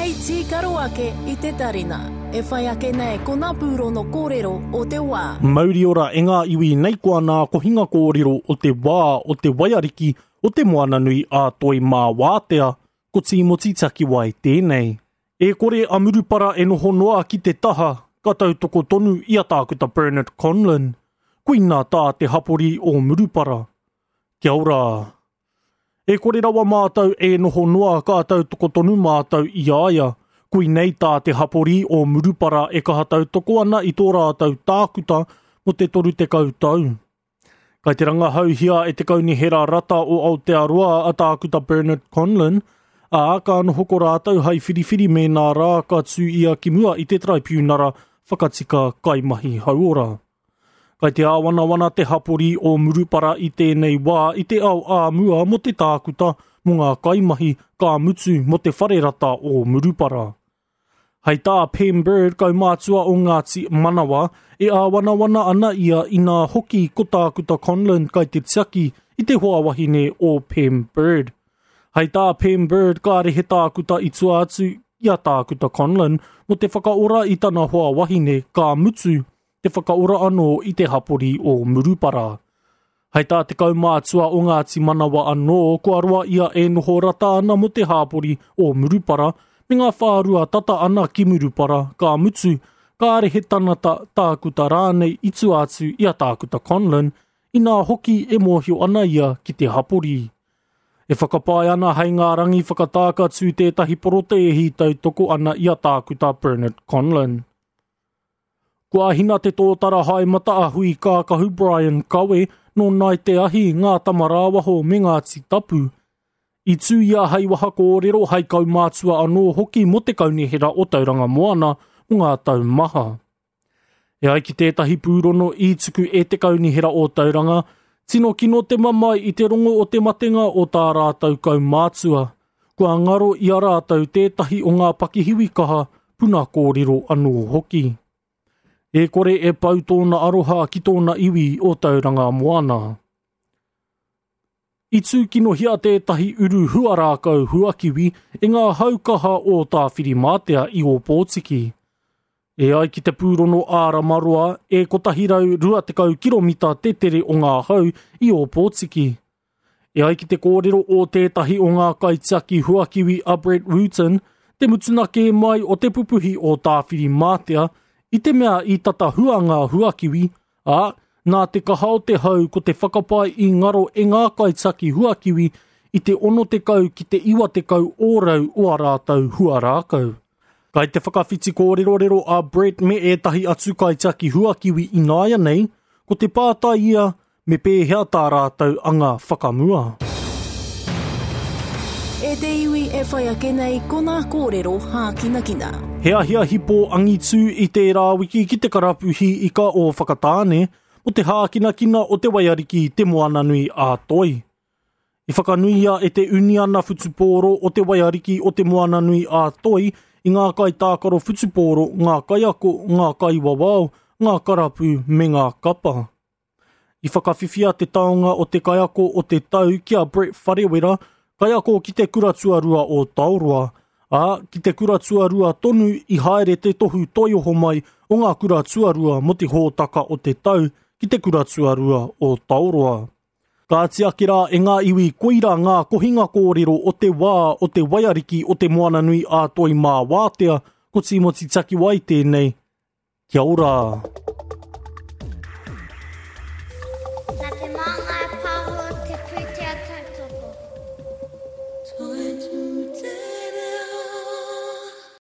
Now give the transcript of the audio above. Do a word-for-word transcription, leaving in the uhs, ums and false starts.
Hei tīkaro ake i te tarina. E whai ake nei ko ngā pūrono kōrero o te wā. Mauri ora e ngā iwi nei koa nā kohinga kōrero o te wā o te waiariki o te Moananui a Toi Mā Wātea, ko Tīmoti Takiwai tēnei. E kore a Murupara e noho noa ki te taha, ka tautoko tonu i a Tākuta Bernard Conlon. Koina tā te hapori o Murupara. Kia ora! E kore rawa mātou e noho noa ka tautoko tonu mātou i a ia. Koinei tā te hapori o Murupara e kaha tautoko ana i tō rātou tākuta mō te toru tekau tau. Kai te rangahauhia e te kaunihera rata o Aotearoa a Tākuta Bernard Conlon, ā, ka noho ko rātou hai whiriwhiri mēnā rā ka tū ia ki mua i te traipiunara whakatika kaimahi hauora. Kai te āwanawana te hapori o Murupara i tēnei wā i te ao āmua mō te tākuta mō ngā kaimahi ka mutu mō te whare rata o Murupara. Hei tā Pem Bird, kaumātua o Ngāti Manawa, e āwanawana ana ia inā hoki ko Tākuta Conlon kai te tiaki i te hoa wahine o Pem Bird. Hei tā Pem Bird, kāre he tākuta i tua atu i a Tākuta Conlon mō te whakaora i tana hoa wahine ka mutu te whakaora anō i te hapori o Murupara. Hei tā te kaumātua o Ngāti Manawa anō, kua roa ia e noho rata ana mō te hapori o Murupara, me ngā whārua tata ana ki Murupara, ka mutu, kāre he tanata tākuta rānei i tua atu i a Tākuta Conlon, inā hoki e mōhio ana ia ki te hapori. E whakapae ana hei ngā rangi whakatāka tū tētahi porotēhi tautoko ana i a Tākuta Bernard Conlon. Kua hina te tōtara hae mata a Hui Kākahu Brian Kawe nō Nai Te Ahi, Ngā Tamarāwaho me Ngāti Tapu. I tū ia hei waha kōrero hei kaumātua anō hoki mō te kaunihera o Tauranga Moana mō ngā tau maha. E ai ki tētahi pūrono i tuku e te kaunihera o Tauranga, tino kino te mamae i te rongo o te matenga o tā rātou kaumātua. Kua ngaro i a rātou tētahi o ngā pakihiwi kaha puna kōrero anō hoki. E kore e pau tōna aroha ki tōna iwi o Tauranga Moana. I tūkinohia tētahi uru huarākau huakiwi e ngā haukaha o Tāwhirimātea i Ōpōtiki. E ai ki te pūrono āramaroa e kotahi rau rua tekau kiromita te tere o ngā hau i Ōpōtiki. E ai ki te kōrero o tētahi o ngā kaitiaki huakiwi a Brett Wooten, te mutuna kē mai o te pupuhi o Tāwhirimātea i te mea i tata hua ngā huakiwi, ā, nā te kaha o te hau ko te whakapae i ngaro e ngā kaitiaki huakiwi i te ono tekau ki te iwa tekau ōrau o a rātou huarākau. Kai te whakawhiti kōrerorero a Brett me ētahi atu kaitiaki huakiwi ināianei, ko te pātai ia me pēhea tā rātou anga whakamua. E te iwi e whai ake nei ko ngā kōrero hākinakina. He ahiahi pō angitū i tērā wiki ki te karapuhi ika o Whakatāne o te hākinakina o te waiariki te Moananui a Toi. I whakanuia e te uniana whutupōro o te waiariki o te Moananui a Toi i ngā kaitākaro whutupōro, ngā kaiako, ngā kaiwawao, ngā karapu me ngā kapa. I whakawhiwhia te taonga o te kaiako o te tau ki a Brett Wharewera, kaiako ki te kura tuarua o Taoroa, ā, ki te kura tuarua tonu i haere te tohu toioho mai o ngā kura tuarua mō te hōtaka o te tau ki te kura tuarua o Taoroa. Ka tiaki rā e ngā iwi koira ngā kohinga kōrero o te wā o te waiariki o te Moananui a Toi Mā Wātea, ko Tīmoti Takiwai tēnei. Kia ora! Nā te Māngai Pāho